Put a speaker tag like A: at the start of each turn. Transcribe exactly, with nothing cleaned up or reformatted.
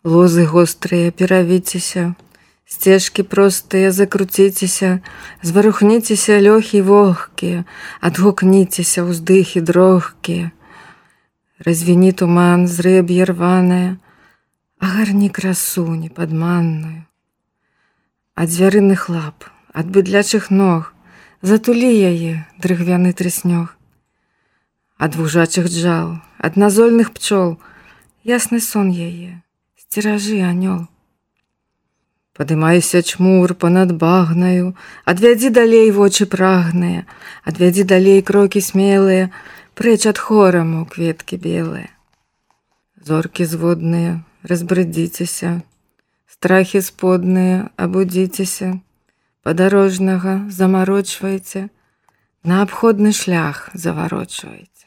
A: Лозы гострыя, перавіцеся, сцежкі простыя, закруціцеся, зварухніцеся, лёхі вогкія, адгукніцеся, ўздыхі дрогкія. Развіні туман, зрэб'е рванае, агарні красу непадманную. Ад звярыных лап, ад быдлячых ног, затулі яе, дрыгвяны трыснёг. Ад вужачых джал, ад назольных пчол, ясны сон яе, сцеражы, анёл. Падымайся, чмур, панад багнаю, адвядзі далей вочы прагныя, адвядзі далей крокі смелыя, прэч ад хораму кветкі белыя. Зоркі зводныя, разбрыдзіцеся, страхі сподныя, абудзіцеся, падарожнага замарочвайце, на абходны шлях заварочвайце.